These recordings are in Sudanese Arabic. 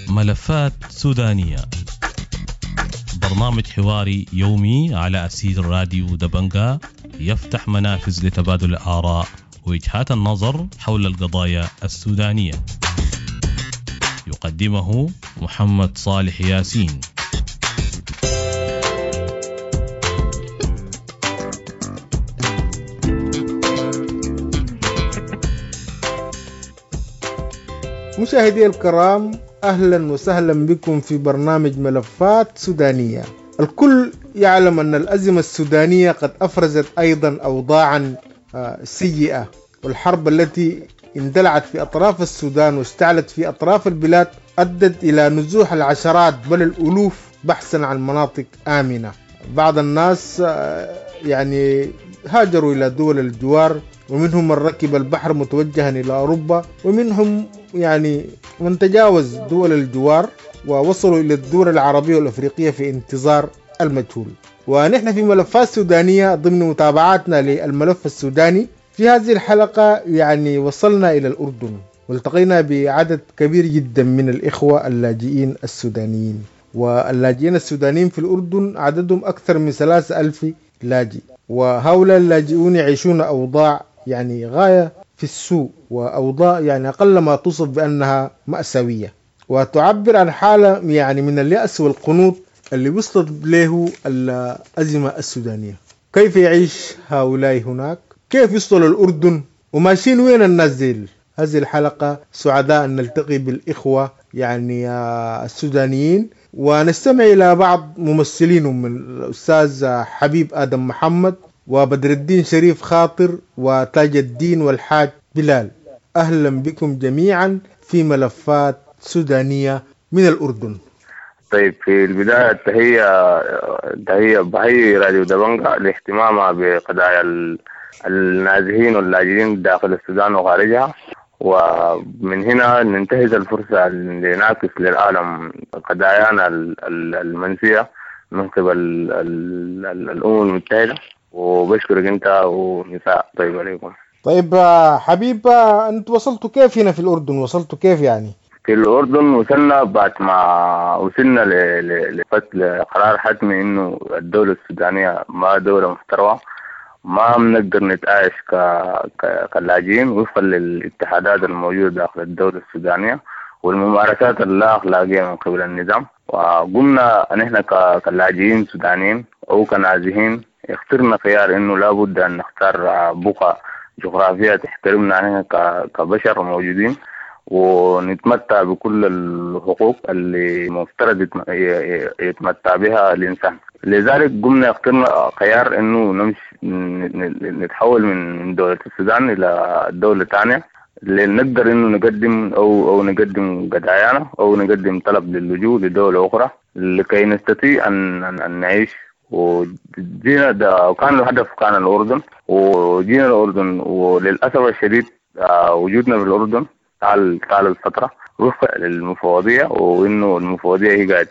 ملفات سودانية، برنامج حواري يومي على أسير راديو دبنجا، يفتح منافذ لتبادل الآراء ووجهات النظر حول القضايا السودانية. يقدمه محمد صالح ياسين. مشاهدي الكرام، أهلا وسهلا بكم في برنامج ملفات سودانية. الكل يعلم أن الأزمة السودانية قد أفرزت أيضا أوضاعا سيئة، والحرب التي اندلعت في أطراف السودان واشتعلت في أطراف البلاد أدت إلى نزوح العشرات بل الألوف بحثا عن مناطق آمنة. بعض الناس يعني هاجروا إلى دول الجوار، ومنهم من ركب البحر متوجها إلى أوروبا، ومنهم يعني من تجاوز دول الجوار ووصلوا إلى الدول العربية والأفريقية في انتظار المجهول. ونحن في ملفات سودانية ضمن متابعاتنا للملف السوداني في هذه الحلقة يعني وصلنا إلى الأردن والتقينا بعدد كبير جدا من الإخوة اللاجئين السودانيين، واللاجئين السودانيين في الأردن عددهم أكثر من 3000 لاجئ، وهؤلاء اللاجئون يعيشون أوضاع يعني غاية في السوء، وأوضاع يعني أقل ما توصف بأنها مأساوية، وتعبر عن حالة يعني من اليأس والقنوط اللي وصلت له الأزمة السودانية. كيف يعيش هؤلاء هناك؟ كيف يوصلوا الأردن؟ وماشيين وين الناس ديل؟ هذه الحلقة سعداء أن نلتقي بالإخوة يعني السودانيين ونستمع إلى بعض ممثلينهم، من الأستاذ حبيب آدم محمد وبدر الدين شريف خاطر وتاج الدين والحاج بلال. أهلا بكم جميعا في ملفات سودانية من الأردن. طيب، في البداية تحية بحيي راديو دبنجا لاهتمامها بقضايا النازحين واللاجئين داخل السودان وخارجها، ومن هنا ننتهز الفرصة لنعكس للعالم قضايانا المنسية من قبل الأمم المتحدة. وبشكرك أنت ونساء. طيب عليكم. طيب حبيب، أنت وصلتوا كيف هنا في الأردن؟ وصلتوا كيف يعني؟ في الأردن وصلنا بعد ما وصلنا لقرار حتمي إنه الدولة السودانية ما دولة محترمة، ما بنقدر نتعايش كلاجئين وفقا للاتحادات الموجودة داخل الدولة السودانية والممارسات اللا أخلاقية من قبل النظام. وقمنا نحن كلاجئين سودانيين أو كنازحين اخترنا خيار إنه لابد أن نختار بقعة جغرافية تحترمنا نحن كبشر موجودين ونتمتع بكل الحقوق اللي مفترض يتمتع بها الإنسان. لذلك قمنا اخترنا خيار إنه نمشي نتحول من دولة السودان إلى دولة ثانية لنقدر إنه نقدم أو نقدم قضايانا أو نقدم طلب للجوء لدولة أخرى لكي نستطيع أن نعيش. وجينا ده وكان الهدف كان الأردن، وجينا الأردن وللأسف الشديد وجودنا في الأردن طال الفترة وفق للمفوضية، وإنه المفوضية هي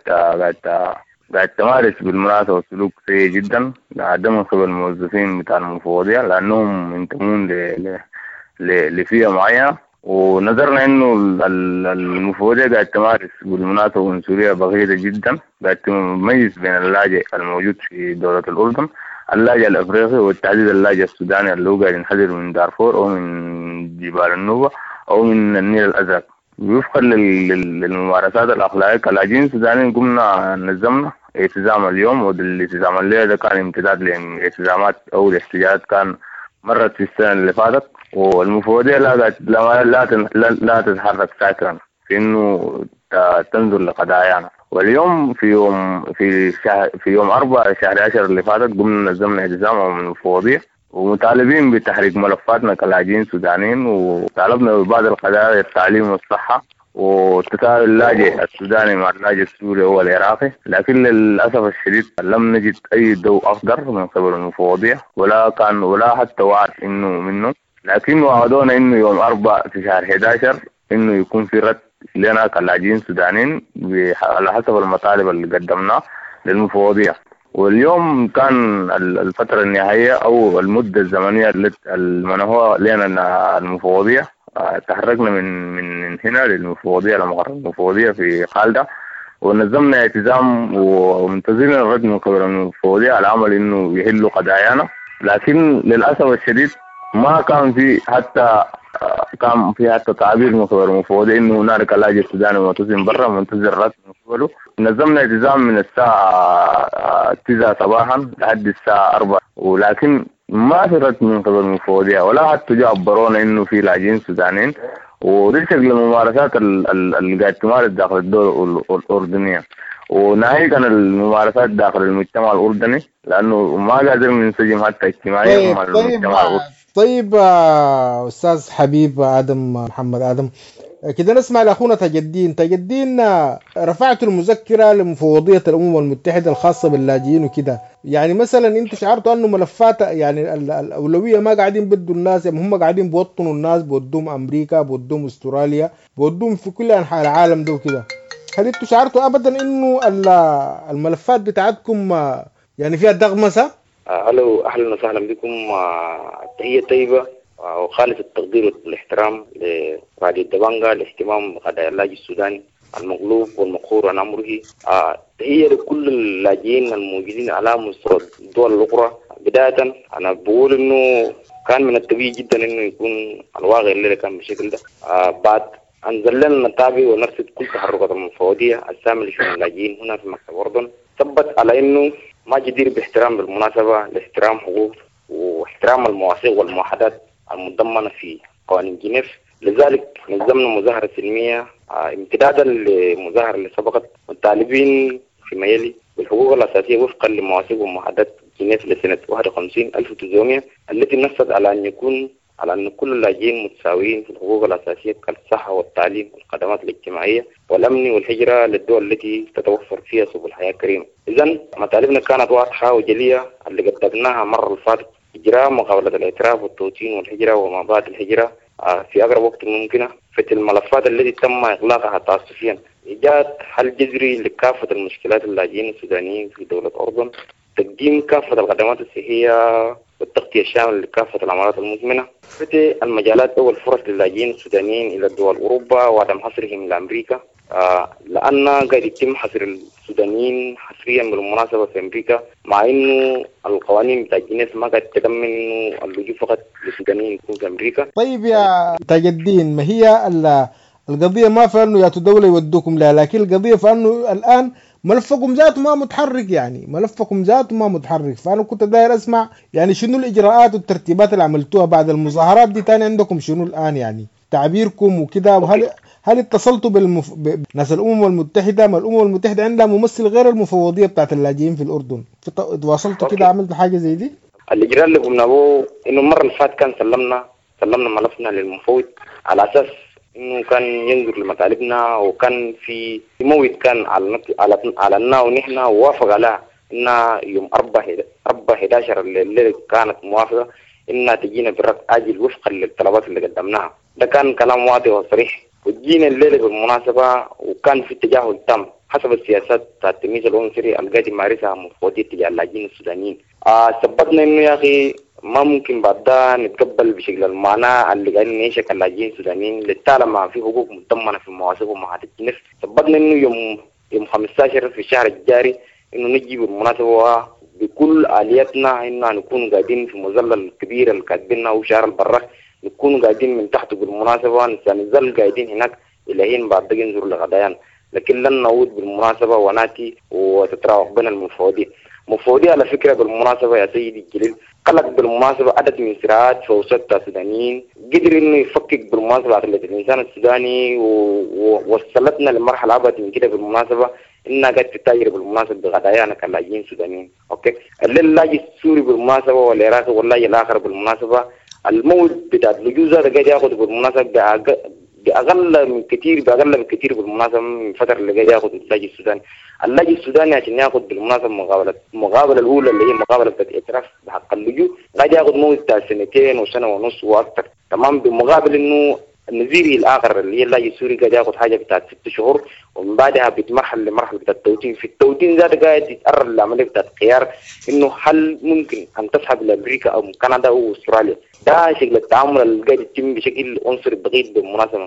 قاعد تمارس بالمناسبة سلوك سيء جدا ده من قبل الموظفين بتاع المفوضية لأنهم ينتمون لفئة معينة. ونظرنا إنه المفوضية قاعد تمارس بالمناسبة عنصرية بغيضة جدا، قاعد تميز بين اللاجئ الموجود في دولة الأردن، اللاجئ الأفريقي، والتحديد اللاجئ السوداني اللي هو قاعد ينحدر من دارفور أو من جبال النوبة أو من النيل الأزرق. وفقا للممارسات الأخلاقية كلاجئين السودانيين قمنا نظمنا التزام اليوم، والالتزام الليلة ده كان امتداد لالتزامات أو الاحتجاجات كان مرت في السنة اللي فاتت. والمفوضية لا لا لا تتحرك ساكنا في إنه تنظر لقضايانا. واليوم في يوم 4/10 اللي فاتت قمنا نظمنا التزام من المفوضية ومطالبين بتحريك ملفاتنا كلاجئين سودانيين، وطالبنا ببعض القضايا التعليم والصحة وتساوي اللاجئ السوداني مع اللاجئ السوري والعراقي. لكن للأسف الشديد لم نجد أي ضوء أخضر من قبل المفوضية ولا حتى وعد إنه منه، لكن وعدونا إنه يوم 4/11 إنه يكون في رد لنا كلاجئين سودانيين على حسب المطالب اللي قدمناها للمفوضية. واليوم كان الفترة النهائية أو المدة الزمنية التي منحوها لنا المفوضية. تحركنا من هنا للمفوضية، لمقر المفوضية في خالدة، ونظمنا اعتزام ومنتظرين الرد من قبل المفوضية على عمل إنه يحلوا قضايانا. لكن للأسف الشديد ما كان في حتى تعبير من قبل المفوضية إنه هنالك لاجئ سوداني معتصم برا منتظر رد من قبله. نظمنا اعتزام من الساعة 9 صباحا لحد الساعة 4، ولكن ما في رد من قبل المفوضية ولا حتى جاء عبرونا إنه في لاجئين سودانيين. ودي شكل الممارسات اللي قاعد تمارس داخل الدولة الأردنية، وناهيك عن الممارسات داخل المجتمع الأردني، لأنه ما قادرين ننسجم حتى اجتماعيا مع المجتمع الأردني. طيب أستاذ حبيب آدم محمد آدم، كده نسمع لأخونا تاج الدين. تاج الدين، رفعت المذكرة لمفوضية الأمم المتحدة الخاصة باللاجئين وكده، يعني مثلا انتوا شعرتوا انه ملفات يعني الأولوية ما قاعدين بدوا الناس، يعني هم قاعدين بوطنوا الناس، بودوهم أمريكا، بودوهم أستراليا، بودوهم في كل أنحاء العالم ده وكده. هل انتوا شعرتوا أبدا انه الملفات بتاعتكم يعني فيها دغمسة؟ ألو، أهلا وسهلا بكم. تحية طيبة وخالص التقدير والاحترام لراديو الدبانجا لاهتمام بقضايا اللاجئ السوداني المغلوب والمقهور عن أمره. تحية لكل اللاجئين الموجودين على مستوى الدول الأخرى. بداية أنا بقول إنه كان من الطبيعي جدا إنه يكون الواقع اللي كان بالشكل ده بعد أن ظللنا نتابع ونرصد كل تحركات المفوضية السامة لشؤون اللاجئين هنا في مكتب الأردن، ثبت على إنه ما جدير باحترام بالمناسبة لاحترام حقوق واحترام المواثيق والمعاهدات المتضمنة في قوانين جنيف. لذلك نظمنا مظاهرة سلمية امتدادا للمظاهرة اللي سبقت، مطالبين فيما يلي بالحقوق الأساسية وفقا لمواثيق ومعاهدات جنيف لسنة 51 1900 التي نصت على أن يكون على أن كل اللاجئين متساويين في الحقوق الأساسية كالصحة والتعليم والخدمات الاجتماعية والأمن والهجرة للدول التي تتوفر فيها سبل الحياة الكريمة. إذن مطالبنا كانت واضحة وجلية اللي قدمناها المرة اللي فاتت: إجراء مقابلة الاعتراف والتوطين والهجرة وما بعد الهجرة في أقرب وقت ممكنة، فتح الملفات التي تم إغلاقها تعسفيا، إيجاد حل جذري لكافة المشكلات اللاجئين السودانيين في دولة الأردن، تقديم كافة الخدمات الصحية والتغطية الشاملة لكافة الأمراض المزمنة، فتح المجالات أو الفرص للاجئين السودانيين إلى دول أوروبا وعدم حصرهم إلى أمريكا، لأن قاعد يتم حصر السودانيين حصريا بالمناسبة في أمريكا، مع إنه القوانين بتاع جنيف ما قاعد تضمن إنه اللجوء فقط للسودانيين يكون في أمريكا. طيب يا تاج الدين، ما هي القضية ما في إنه يا دولة يودوكم لا، لكن القضية في إنه الآن ملفكم ذاته ما متحرك، يعني ملفكم ذاته ما متحرك. فأنا كنت داير أسمع يعني شنو الإجراءات والترتيبات اللي عملتوها بعد المظاهرات دي، تاني عندكم شنو الآن يعني تعبيركم وكده؟ وهل اتصلتوا بناس الأمم المتحدة؟ ما الأمم المتحدة عندها ممثل غير المفوضية بتاعت اللاجئين في الأردن، تواصلتوا كده، عملتوا حاجة زي دي؟ الإجراء اللي قمنا به إنه المرة اللي فاتت كان سلمنا ملفنا للمفوض على أساس إنه كان ينظر لمطالبنا، وكان في موعد كان على ونحن ووافق على إن يوم 4/11 الليلة كانت موافقة إنها تجينا بالرد عاجل وفقا للطلبات اللي قدمناها. ده كان كلام واضح وصريح، وجينا الليلة بالمناسبة وكان في تجاهل تام حسب السياسات بتاع التمييز العنصري اللي قاعد يمارسها مفوضية تجاه اللاجئين السودانيين. ثبتنا إنه يا أخي ما ممكن بعد ده نتقبل بشكل المعنى اللي قاعدين نعيشه كلاجئين سودانيين لطالما في حقوق متضمنه في المواثيق ومعاهدات جنيف. ثبتنا انه يوم 15 في الشهر الجاري انه نجي بالمناسبه بكل الياتنا انه نكون قاعدين في مظله الكبيره اللي كاتبينها وشهر البراك، نكون قاعدين من تحته بالمناسبه، نظل قاعدين هناك الى حين بعد ده ينظر لغديان، لكن لن نعود بالمناسبه وناتي وتتراوح بين المفوضيه. مفوضية على فكرة بالمناسبة يا سيدي الجليل قلق بالمناسبة عدد من صراعات في وسط السودانيين، قدر انه يفكك بالمناسبة عقلية الانسان السوداني ووصلتنا لمرحلة ابعد من كده بالمناسبة، انها قاعد تتاجر بالمناسبة بقضايانا كلاجئين سودانيين. okay، اللاجئ السوري بالمناسبة والعراقي واللاجئ الاخر بالمناسبة الموت بتاع اللجوء ده قاعد ياخذ بالمناسبة بأقل من كثير، بأقل بكثير بالمناسبة من الفترة اللي قاعد ياخذ اللاجئ السوداني. اللاجئ السوداني عشان ياخذ بالمناسبة المقابلة الأولى اللي هي مقابلة بتاعت اعتراف بحق اللجوء قاعد ياخذ موت بتاع سنتين وسنة ونص وأكثر، تمام، بمقابل إنه النزيري الآخر اللي هي اللاجئ السوري قاعد ياخذ حاجة بتاعت 6 شهور، ومن بعدها بتمرحل لمرحلة بتاع التوطين. في التوطين ذاته قاعد يتأرى العملية بتاعت خيار انه هل ممكن ان تذهب لامريكا او كندا او استراليا. ده شكل التعامل اللي قاعد يتم بشكل عنصري بغيض بالمناسبة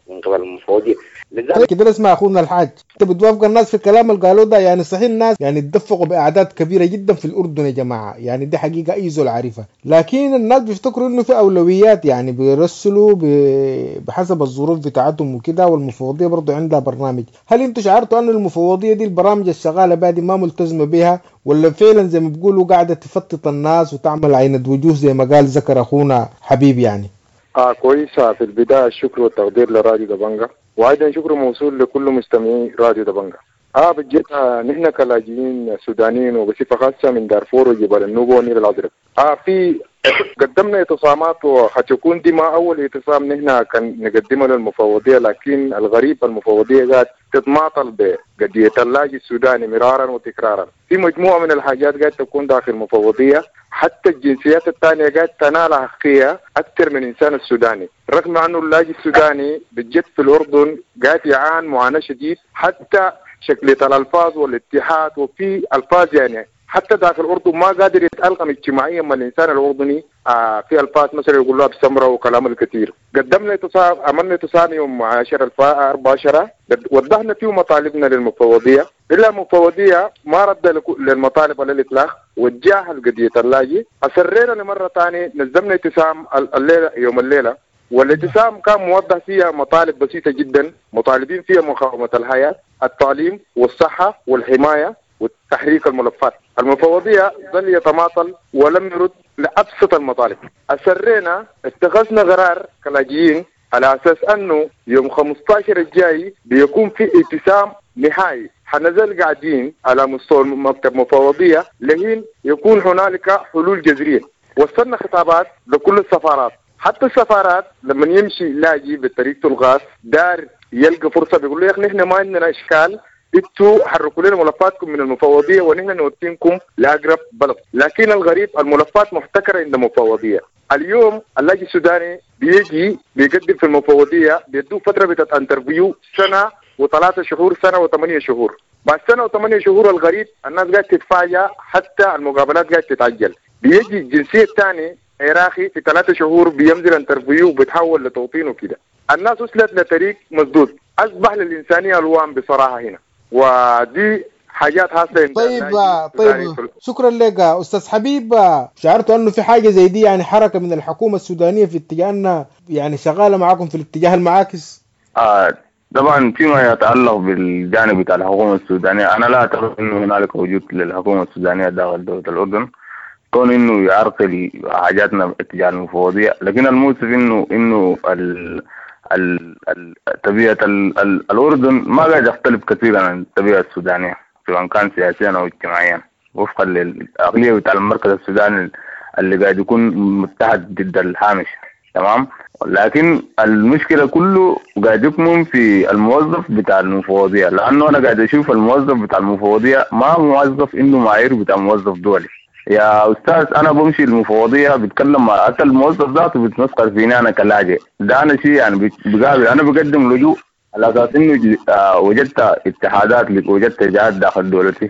من قبل المفوضية. لذلك كده اسمع اخونا الحاج، انت بتوافق الناس في الكلام اللي قالوه ده؟ يعني صحيح الناس يعني اتدفقوا باعداد كبيرة جدا في الاردن يا جماعة، يعني دي حقيقة اي زول عارفها، لكن الناس بيفتكروا انه في اولويات، يعني بيرسلوا بحسب الظروف بتاعتهم وكده، والمفوضيه برضو عندها برنامج. هل انتوا شعرتوا ان المفوضية دي البرامج الشغاله بها دي ما ملتزمة بها، ولا فعلا زي ما بيقولوا قاعدة تفتت الناس وتعمل عينة وجوه زي ما قال ذكر اخونا حبيب؟ يعني كويسة. في البداية الشكر والتقدير لراديو دبنجا، وأيضا شكر موصول لكل مستمعي راديو دبنجا. بجد نحن كلاجئين سودانيين وبصفة خاصة من دارفور وجبال النوبة والنيل الأزرق، في قدمنا اعتصامات، وحتكون دي ما أول اعتصام نحن كان نقدمه للمفوضية، لكن الغريب المفوضية قاعد تتماطل بقضية اللاجئ السوداني مرارا وتكرارا. في مجموعة من الحاجات قاعد تكون داخل المفوضية، حتى الجنسيات الثانية قاعد تنال حقية أكثر من الإنسان السوداني، رغم أنه اللاجئ السوداني بجد في الأردن قاعد يعاني معاناة شديد، حتى شكلية الألفاظ والاتحاد، وفي ألفاظ يعني حتى داخل الأردن ما قادر يتألقم اجتماعيا مع الإنسان الأردني. في ألفاظ مثلا يقول لها بسمرة وكلام الكثير. قدمنا اتصال، عملنا اتصال يوم 10/14، وضحنا فيه مطالبنا للمفوضية، إلا المفوضية ما رد للمطالب على الإطلاق وتجاهل قضية اللاجئ. أصرينا لمرة ثانية، نظمنا اعتصام الليلة يوم الليلة، والاعتصام كان موضح فيها مطالب بسيطة جدا، مطالبين فيها مقاومة الحياة، التعليم والصحة والحماية وتحريك الملفات. المفوضية ظل يتماطل ولم يرد لأبسط المطالب. أسرينا اتخذنا قرار كلاجئين على أساس أنه يوم 15 الجاي بيكون في اعتصام نهائي، حنزل قاعدين على مستوى مكتب مفوضية لحين يكون هنالك حلول جذرية. وصلنا خطابات لكل السفارات، حتى السفارات لما يمشي لاجي بطريقته الغاز دار يلقى فرصة بيقول له يا أخي نحن ما عندنا إشكال، انتوا حركوا لنا ملفاتكم من المفوضية ونحن نوديكم لاقرب بلد. لكن الغريب الملفات محتكره عند المفوضية. اليوم اللاجئ السوداني بيجي بيقدم في المفوضية، بيدوه فترة بتاعت interview سنة و3 شهور، سنة و8 شهور. بعد سنة و8 شهور الغريب الناس قاعدة تتفاجأ، حتى المقابلات قاعدة تتعجل. بيجي الجنسية الثاني عراقي في 3 شهور بينزل interview وبيتحول لتوطين وكده. الناس وصلت لطريق مسدود، اصبح للانسانية الوان بصراحة هنا، ودي حاجات حاصله. طيب شكرا لك استاذ حبيب. شعرت انه في حاجة زي دي، يعني حركة من الحكومة السودانية في اتجاه انها يعني شغالة معاكم في الاتجاه المعاكس؟ طبعا فيما يتعلق بالجانب بتاع الحكومة السودانية، انا لا اعتقد انه هنالك وجود للحكومة السودانية داخل دولة الاردن، كون انه يعرقل حاجاتنا اتجاه المفوضية. لكن المؤسف انه طبيعة الأردن ما قاعد يختلف كثيرا عن الطبيعة السودانية، سواء كان سياسيا أو اجتماعيا، وفقا للعقلية بتاع المركز السوداني اللي قاعد يكون متحد ضد الهامش. تمام. لكن المشكلة كله قاعد يكمن في الموظف بتاع المفوضية، لأنه أنا قاعد أشوف الموظف بتاع المفوضية ما موظف إنه معايير بتاع موظف دولي. يا أستاذ أنا بمشي المفوضية بتكلم مع حتى الموظف ذاته بتمسخر فيني أنا كلاجئ، ده أنا شيء يعني بقابل، أنا بقدم لجوء على أساس إنه وجدت اتحادات وجدت جهات داخل دولتي،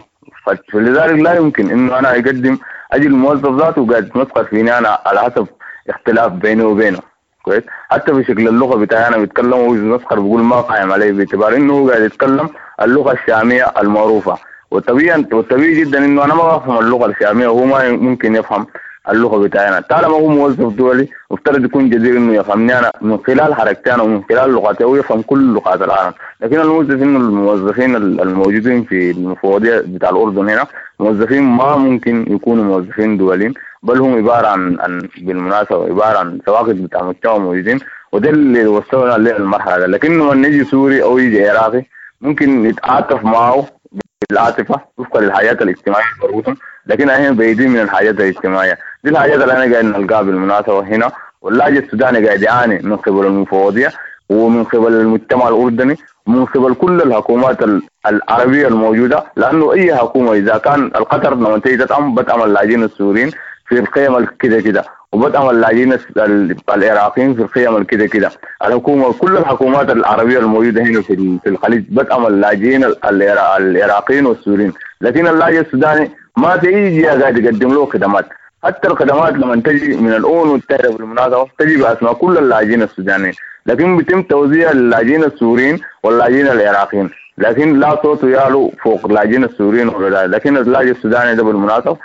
فلذلك لا يمكن إنه أنا أقدم أجي الموظف ذاته قاعد يتمسخر فيني أنا على حسب اختلاف بيني وبينه. كويس، حتى في شكل اللغة بتاعي أنا بيتكلم وبيتمسخر بيقول ما قايم علي، باعتبار إنه هو قاعد يتكلم اللغة الشامية المعروفة، والطبيعي جدا انه انا ما بفهم اللغة الشامية وهو ما ممكن يفهم اللغة بتاعنا. طالما هو موظف دولي مفترض يكون جدير انه يفهمني انا من خلال حركتي انا ومن خلال لغتي، هو يفهم كل لغات العالم. لكن الموظف انه الموظفين الموجودين في المفوضية بتاع الاردن هنا موظفين ما ممكن يكونوا موظفين دوليين، بل هم عبارة عن بالمناسبة عبارة عن سواقط بتاع مجتمع موجودين، وده اللي وصلنا للمرحلة ده. لكن لما يجي سوري او يجي عراقي ممكن يتعاطف معه بالعاطفة وفقا للحياة الاجتماعية المربوطة، لكن احنا بعيدين من الحياة الاجتماعية دي. الحاجات اللي احنا قاعدين نلقاها بالمناسبة هنا، واللاجئ السوداني قاعد يعاني من قبل المفوضية ومن قبل المجتمع الأردني ومن قبل كل الحكومات العربية الموجودة، لأنه أي حكومة إذا كان القطر لما تيجي تدعم بتدعم اللاجئين السوريين، في القيم كده كده، وبدعم اللاجئين العراقيين في القيم كده كده. الحكومة، كل الحكومات العربية الموجودة هنا في الخليج بدعم اللاجئين العراقيين والسوريين، لكن اللاجئ السوداني ما في اي جهة قاعد يقدم له خدمات. حتى الخدمات لما تجي من الامم المتحدة بالمناسبة تجي باسماء كل اللاجئين السودانيين، لكن بيتم توزيع اللاجئين السوريين واللاجئين العراقيين، لكن لا صوت يعلو فوق اللاجئين السوريين ولا. لكن اللاجئ السوداني ده بالمناسبة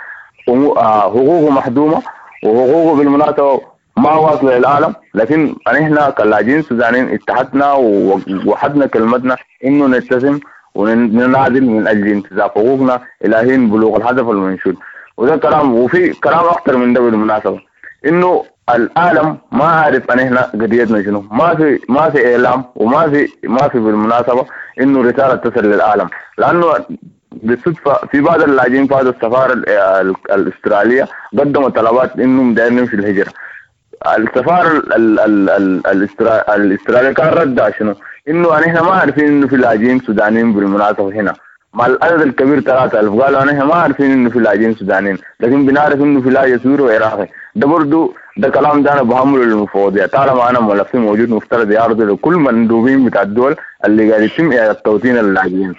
حقوقه محدومه وحقوقه بالمناسبة ما واصله للعالم. لكن احنا كلاجئين السودانيين اتحدنا ووحدنا كلمتنا انه نلتزم وننادل من اجل انتزاع حقوقنا الى حين بلوغ الهدف المنشود. وده كلام، وفي كلام اكثر من ده بالمناسبة، انه العالم ما عارف ان احنا قضيتنا شنو، ما في اعلام وما في بالمناسبة انه رسالة تصل للعالم. لانه بالصدفة في بعض اللاجئين في هذا السفارة الاسترالية قدموا طلبات انهم دايرين يمشوا الهجرة. السفارة الاسترالية كان ردها شنو؟ انه احنا ما عارفين انه في لاجئين سودانيين بالمناسبة هنا مع العدد الكبير 3000، قالوا نحن ما عارفين انه في لاجئين سودانيين، لكن بنعرف انه في لاجئ سوري وعراقي. ده برضه ده كلام ده انا بهمله للمفوضيه، طالما انا ملفي موجود مفترض يعرض لكل مندوبين بتاع الدول اللي قاعد يتم اعاده توطين اللاجئين.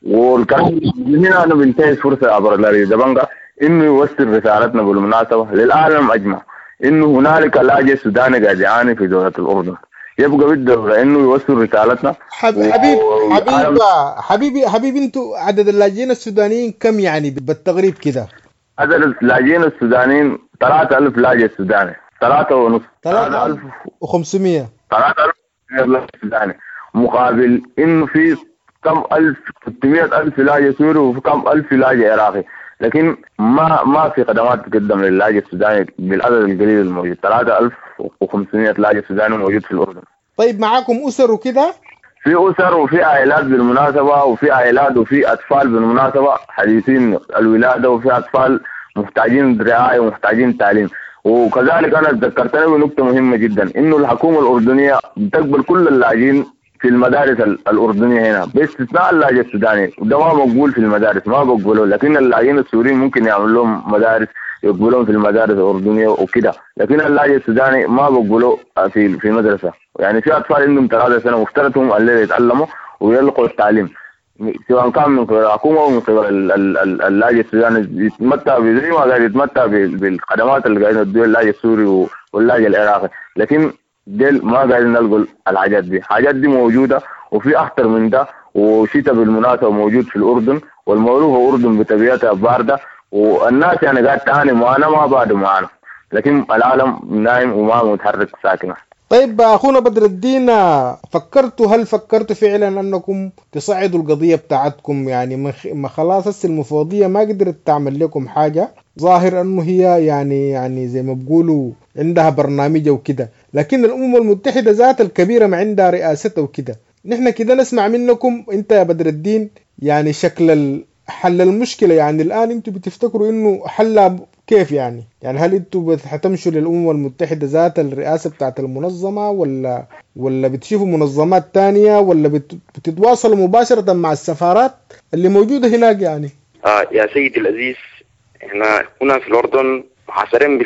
والكلام هنا انا بنتهز فرصة عبر لاري دبنجا انه يوصل رسالتنا بالمناسبة للعالم اجمع انه هنالك لاجئ سوداني قاعد يعاني في دولة الاردن. يبقى بالدولة انه يوصل رسالتنا. حبيب حبيبي حبيبي، انتوا عدد اللاجئين السودانيين كم يعني بالتقريب كده؟ عدد اللاجئين السودانيين 3000 لاجئ سوداني، 3.5، 3500، 3000 لاجئ سوداني، مقابل انه في كم ألف 600,000 لاجئ سوري وفي كم ألف لاجئ عراقي. لكن ما في خدمات تقدم للاجئ السوداني بالعدد القليل الموجود، 3500 لاجئ سوداني موجود في الأردن. طيب معاكم أسر وكده؟ في أسر وفي عائلات بالمناسبة، وفي عائلات وفي أطفال بالمناسبة حديثين الولادة، وفي أطفال محتاجين رعاية ومحتاجين تعليم. وكذلك أنا تذكرتني بنقطة مهمة جدا، إنه الحكومة الأردنية بتقبل كل اللاجئين في المدارس الأردنية هنا باستثناء اللاجئ السوداني، وده ما مقبول في المدارس، ما بقبلوه. لكن اللاجئين السوريين ممكن يعمل لهم مدارس، يقبلوهم في المدارس الأردنية وكده، لكن اللاجئ السوداني ما بقبلوه في مدرسة. يعني في أطفال عندهم 3 سنة مفترض هم اللي يتعلموا ويلقوا التعليم، سواء كان من قبل الحكومة أو من قبل اللاجئ السوداني، يتمتع زي ما قاعد يتمتع بالخدمات اللي قاعدين يدوها اللاجئ السوري واللاجئ العراقي. لكن ديل ما قاعدين نلقوا الحاجات دي، الحاجات دي موجودة وفي أخطر من ده. وشتاء بالمناسبة موجود في الأردن، والمعروفة الأردن بطبيعتها باردة، والناس يعني قاعد تعاني معانا ما بعد معانا، لكن العالم نايم وما متحرك ساكنة. طيب أخونا بدر الدين، هل فكرتوا فعلا أنكم تصعدوا القضية بتاعتكم؟ يعني ما خلاص هسه المفوضية ما قدرت تعمل لكم حاجة، ظاهر أنه هي يعني زي ما بقولوا عندها برنامج وكده، لكن الأمم المتحدة ذات الكبيرة ما عندها رئاستها وكده. نحن كده نسمع منكم أنت يا بدر الدين يعني شكل حل المشكلة. يعني الآن أنتوا بتفتكروا إنه حلها كيف يعني؟ يعني هل أنتوا هتمشوا للأمم المتحدة ذات الرئاسة بتاعت المنظمة، ولا بتشوفوا منظمات تانية، ولا بتتواصلوا مباشرة مع السفارات اللي موجودة هناك يعني؟ يا سيدي العزيز، احنا هنا في الأردن محاصرين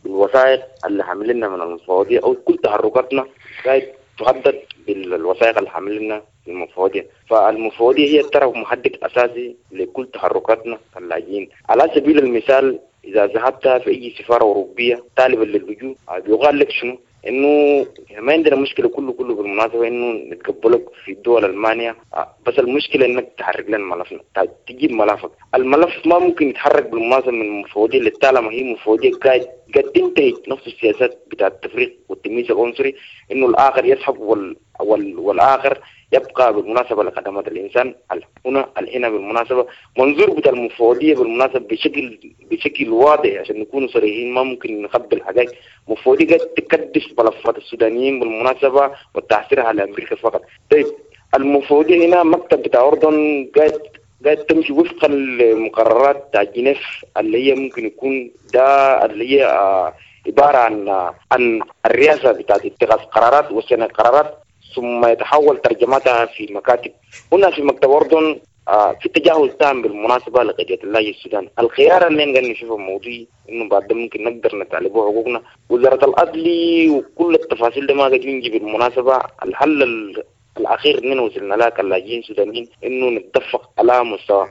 بالوثائق اللي حاملينها من المفوضية، أو كل تحركاتنا قاعد تهدد بالوثائق اللي حاملينها المفوضية. فالمفوضية هي الطرف محدد أساسي لكل تحركاتنا كلاجئين. على سبيل المثال، إذا ذهبت في أي سفارة أوروبية طالبا للجوء بيقال لك شنو؟ إنه ما عندنا مشكلة كله بالمناسبة إنه نتقبلك في الدول ألمانيا، بس المشكلة إنك تحرك لنا ملفنا، تجيب ملفك. الملف ما ممكن يتحرك بالمناسبة من المفوضية اللي طالما هي مفوضية قاعد تنتهج نفس السياسات بتاع التفريق والتمييز العنصري، إنه الآخر يسحب والآخر يبقى بالمناسبة لخدمات الإنسان. هنا الحين بالمناسبة منظور بتاع المفوضية بالمناسبة بشكل واضح، عشان نكون صريحين ما ممكن نخبي الحقائق. المفوضية قاعد تكدس ملفات السودانيين بالمناسبة وتحصيرها على أمريكا فقط. طيب المفوضية هنا مكتب بتاع أردن قاعد تمشي وفقا للمقررات بتاع جنيف، اللي هي ممكن يكون ده اللي هي عبارة عن الرئاسة بتاعت اتخاذ قرارات وسنة قرارات، ثم يتحول ترجمتها في مكاتب. هنا في مكتب أردن في تجاهل تام بالمناسبة لقضية اللاجئ السوداني. الخيار اللي نقدر نشوفه موضوعي إنه بعد ده ممكن نقدر نطالبه حقوقنا. وزارة العدل وكل التفاصيل ده ما قد ينجي بالمناسبة. الحل الأخير إننا وصلنا لها كلاجئين سودانيين إنه نتفق على مستوى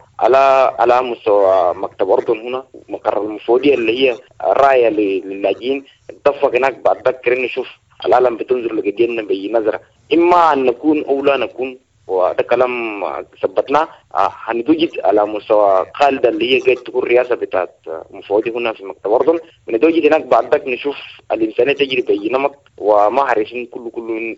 على مستوى مكتب أردن هنا، مقر المفوضية اللي هي راية للاجئين، نتفق هناك. بعد ذاك نشوف العالم بتنظر لقضيتنا بأي نظرة، إما أن نكون أو لا نكون. وده كلام ثبتناه. هنتوجد على مستوى خالدة اللي هي قاعد تكون رئاسة بتاعت مفوضي هنا في مكتب أردن، بنتوجد هناك. بعد ذاك نشوف الإنسانية تجري بأي نمط، وما عارفين كله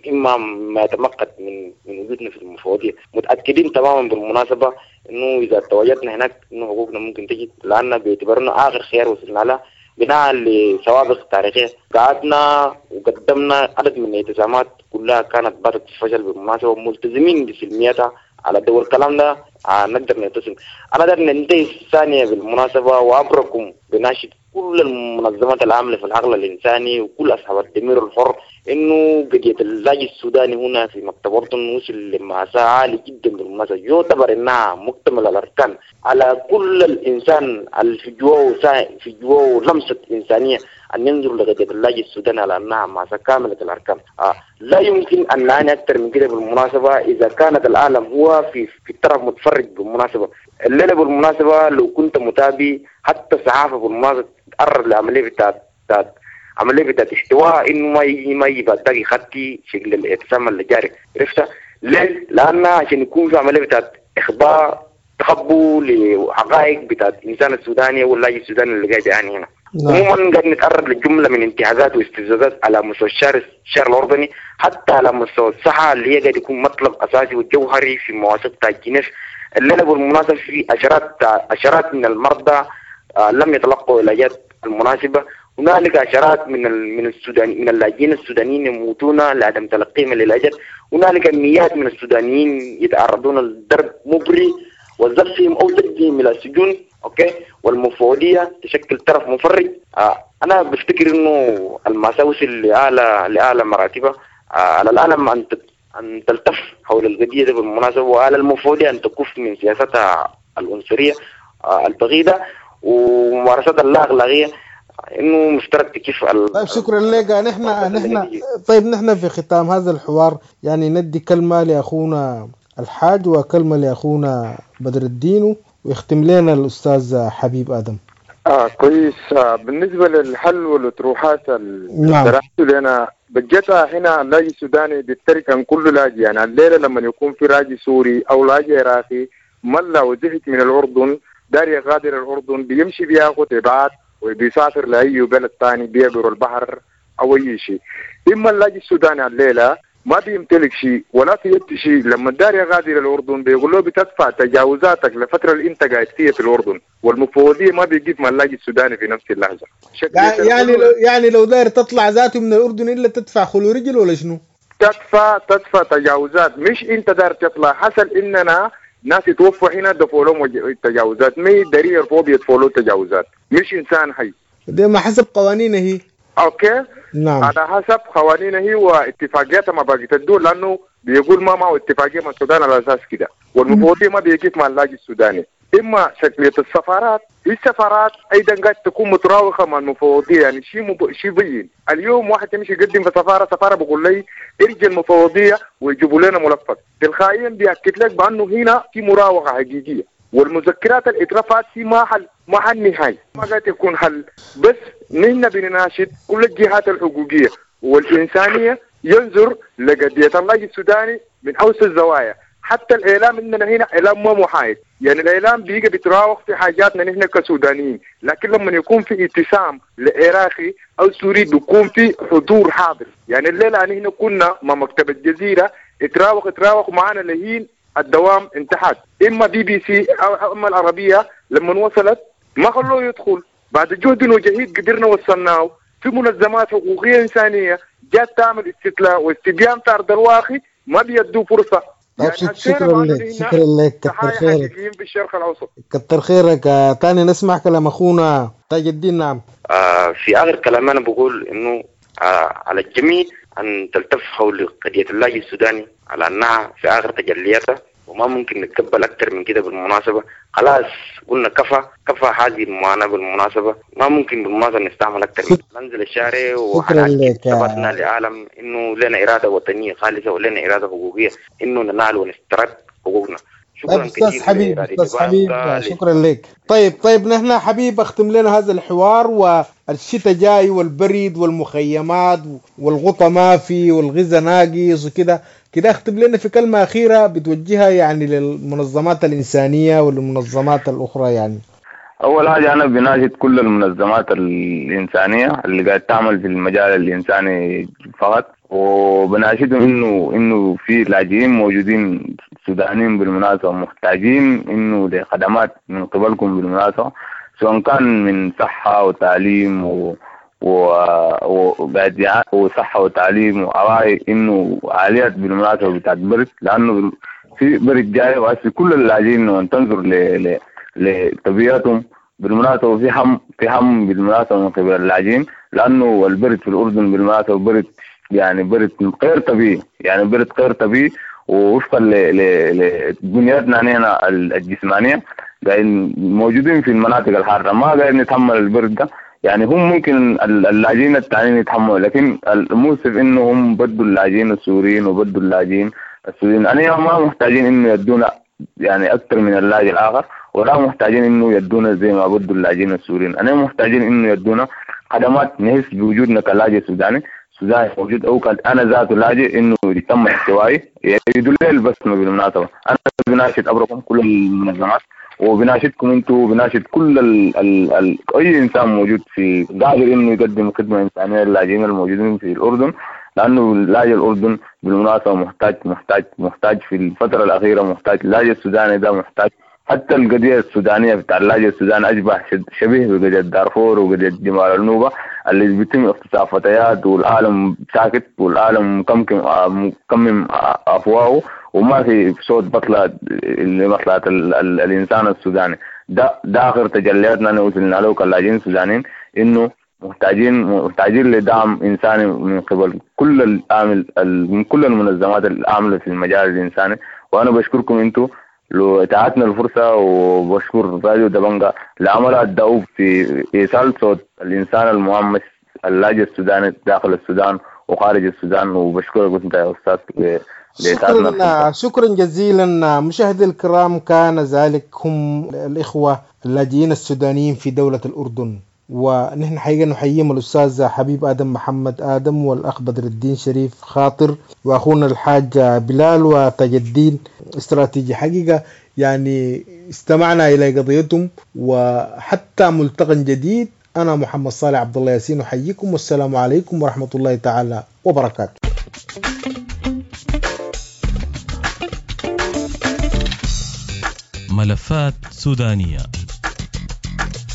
إما ما يتمقت من وجودنا في المفوضية. متأكدين تماما بالمناسبة إنه إذا تواجدنا هناك إنه حقوقنا ممكن تجد، لأن باعتبارنا آخر خيار وصلنا له بناء لسوابق تاريخية. قعدنا وقدمنا عدد من الالتزامات كلها كانت باتت فشل بالمناسبة، وملتزمين بسلميتها على دول. الكلام ده نقدر نلتزم. أنا دار ننتهي الثانية بالمناسبة، وأبركم بناشد كل المنظمات العاملة في العقل الإنساني وكل أصحاب الضمير الحر إنه قضية اللاجئ السوداني هنا في مكتب أردن وصل لمأساة عالي جدا بالمناسبة، يعتبر إنها مكتمل الأركان على كل الإنسان اللي في جواه لمسة إنسانية أن ينظر لقضية اللاجئ السوداني على أنها مأساة كاملة الأركان. لا يمكن أن نعاني أكثر من كده بالمناسبة إذا كانت العالم هو في الطرف متفرج بالمناسبة. الليلة بالمناسبة لو كنت متابع حتى الصحافة بالمناسبة تقرب لعملية بتاعت عملية بتاعت احتواء إنه ما يجي بعد ذاك يخطي شكل الاعتصام اللي جاري، عرفتها؟ ليه؟ لأن عشان يكون في عملية بتاعت إخبار تخبوا لحقائق بتاعت الإنسان السوداني واللاجئ السوداني اللي قاعد يعاني هنا. عموما قاعد نتعرض لجملة من انتهاكات واستفزازات على مستوى الشارع الأردني، حتى على مستوى الصحة اللي هي قاعد يكون مطلب أساسي وجوهري في مواثيق تاع جنيف. الليلة بالمناسبة في عشرات من المرضى لم يتلقوا العلاجات المناسبة. هنالك عشرات من من اللاجئين السودانيين يموتون لعدم تلقيهم للعلاجات. هنالك مئات من السودانيين يتعرضون لضرب مبري وزفهم او زجهم الى السجون. okay، والمفوضية تشكل طرف مفرج. انا بفتكر انه المأساة وصل لاعلى مراتبها. على العالم ان تلتف حول القضية دي بالمناسبة، وعلى المفوضية ان تكف من سياستها العنصرية البغيضة وممارسات اللاأخلاقية، انه مفترض تكف. طيب شكرا لك. نحن طيب نحن في ختام هذا الحوار يعني ندي كلمة لاخونا الحاج وكلمة لاخونا بدر الدين، ويختم لنا الأستاذ حبيب آدم. كويس. بالنسبة للحل والأطروحات اللي طرحته لنا بجد هنا اللاجئ السوداني بيفترق عن كل لاجئ. يعني الليلة لما يكون في لاجئ سوري أو لاجئ عراقي ملا وزهق من الأردن دار يغادر الأردن، بيمشي بياخد إبعاد وبيسافر لأي بلد ثاني، بيعبر البحر أو أي شيء. إما اللاجئ السوداني الليلة ما بيمتلك شيء ولا في يد شيء، لما الدار يغادر الأردن بيقول له بتدفع تجاوزاتك لفترة اللي أنت قاعد فيها في الأردن، والمفوضية ما بيجيب مع اللاجئ السوداني في نفس اللحظة. يعني لو داير تطلع ذاته من الأردن إلا تدفع خلو رجل ولا شنو؟ تدفع تجاوزات، مش أنت داير تطلع. حصل إننا ناس يتوفوا هنا دفعوا لهم تجاوزات، ما داري يرفضوا يدفعوا له تجاوزات، مش إنسان حي. ده ما حسب قوانينه هي. okay، نعم، على حسب قوانينه هي واتفاقياتها مع باقي الدول، لانه بيقول ما معه اتفاقية مع السودان على اساس كده، والمفوضيه ما بيقف مع اللاجئ السوداني. اما شكلية السفارات، السفارات ايضا قاعد تكون متراوخه مع المفوضية، يعني شيء بين. اليوم واحد يمشي يقدم في سفارة بيقول لي ارجع المفوضية ويجيبوا لنا ملفك، تلقائيا بياكد لك بانه هنا في مراوغه حقيقية، والمذكرات اللي اترفعت في ما حل نهائي، ما قاعد يكون حل. بس نحن بنناشد كل الجهات الحقوقية والإنسانية ينظر لقضية اللاجئ السوداني من أوسع الزوايا. حتى الإعلام عندنا هنا إعلام ما محايد، يعني الإعلام بيجي بيتراوغ في حاجاتنا نحن كسودانيين، لكن لما يكون في اتسام لعراقي أو سوري بيكون في حضور حاضر. يعني الليلة نحن كنا مع مكتب الجزيرة اتراوغ معنا لهين الدوام انتهت، إما بي بي سي أو إما العربية لما وصلت ما خلوه يدخل. بعد جهد وجهيد قدرنا وصلناه. في منظمات حقوقية إنسانية جات تعمل استطلاع واستبيان في أرض الواقع ما بيدوا فرصة. طيب يعني شكرا لك، شكرا لك، كتر خيرك في الشرق الأوسط، كتر خيرك. تاني نسمع كلام أخونا تاج الدين. نعم. في آخر كلام أنا بقول إنه على الجميع أن تلتف حول قضية اللاجئ السوداني على أنها في آخر تجلياتها، وما وما ممكن نتقبل أكثر من كده بالمناسبة. خلاص قلنا كفى كفى هذه المعاناة بالمناسبة، ما ممكن بالمناسبة نستعمل أكثر من كده. ننزل الشارع وحنأكد ثباتنا للعالم إنه لنا إرادة وطنية خالصة ولنا إرادة حقوقية إنه ننال ونسترد حقوقنا. شكرا استاذ حبيب، استاذ حبيب شكرا لك. طيب نحن حبيب اختم لنا هذا الحوار، والشتاء جاي والبرد والمخيمات والغطا ما في والغذاء ناقص وكده كده، اختم لنا في كلمة أخيرة بتوجهها يعني للمنظمات الإنسانية والمنظمات الأخرى. يعني أول حاجة أنا بناشد كل المنظمات الإنسانية اللي قاعد تعمل في المجال الإنساني فقط، وبناشدهم إنه في لاجئين موجودين سودانيين بالمناسبة محتاجين إنه لخدمات من قبلكم بالمناسبة، سواء كان من صحة وتعليم وصحة وتعليم وأراي إنه عاليات بالمناسبة بتاعت برد، لأنه في برد جاي وهسه كل اللاجئين وأن تنظر لطبيعتهم بالمناسبة في هم بالمناسبة من قبل اللاجئين، لأنه البرد في الأردن بالمناسبة برد يعني برد غير طبيعي، يعني برد غير طبيعي، ووفقا لبنياتنا هنا الجسمانية قاعدين موجودين في المناطق الحارة ما قاعدين نتحمل البرد ده. يعني هم ممكن اللاجئين التانيين يتحملوا، لكن المؤسف انه هم بدوا اللاجئين السوريين وبدوا اللاجئين السوريين أنا ما محتاجين انه يدونا يعني اكثر من اللاجئ الاخر، ولا محتاجين انه يدونا زي ما بدوا اللاجئين السوريين، انا محتاجين انه يدونا خدمات نحس بوجودنا كلاجئ سوداني موجود، او كان انا ذاته لاجئ انه يتم احتوائي يدل لي البسمه بالمناسبه. انا بناشد ابركم كل المنظمات وبناشدكم انتم وبناشد كل ال اي انسان موجود في قادر انه يقدم خدمه انسانيه للاجئين الموجودين في الاردن، لانه اللاجئ الاردن بالمناسبه محتاج محتاج محتاج في الفتره الاخيره، محتاج اللاجئ السوداني ده محتاج. حتى القضية السودانية بتاع اللاجئ السوداني أشبه شبيه بقضية دارفور وقضية جمال النوبة اللي بيتم اغتصاب فتيات، والعالم ساكت والعالم مكمم أفواهه وما في صوت بطلع لمصلحة الإنسان السوداني. ده آخر تجلياتنا اللي وصلنا له كلاجئين السودانيين، إنه محتاجين لدعم إنساني من قبل كل العامل من كل المنظمات العاملة في المجال الإنساني. وأنا بشكركم أنتم لو اتاحتنا الفرصة، وبشكر راديو دبنجا لعملها الدؤوب في إيصال صوت الإنسان المهمش اللاجئ السوداني داخل السودان وخارج السودان، وبشكرك أنت يا أستاذ. شكرا جزيلا. مشاهدي الكرام، كان ذلك هم الإخوة اللاجئين السودانيين في دولة الأردن، ونحن حقيقة نحييهم الأستاذ حبيب آدم محمد آدم والأخ بدر الدين شريف خاطر وأخونا الحاج بلال وتاج الدين استراتيجي. حقيقة يعني استمعنا إلى قضيتهم، وحتى ملتقى جديد. أنا محمد صالح عبد الله ياسين أحييكم، والسلام عليكم ورحمة الله تعالى وبركاته. ملفات سودانية،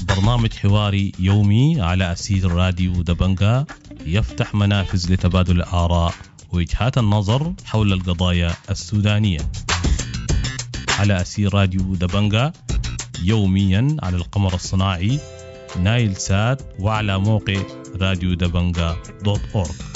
برنامج حواري يومي على أسير راديو دبنجا، يفتح منافذ لتبادل الآراء ووجهات النظر حول القضايا السودانية على أسير راديو دبنجا يوميا على القمر الصناعي نايل سات وعلى موقع راديو دبنجا .org.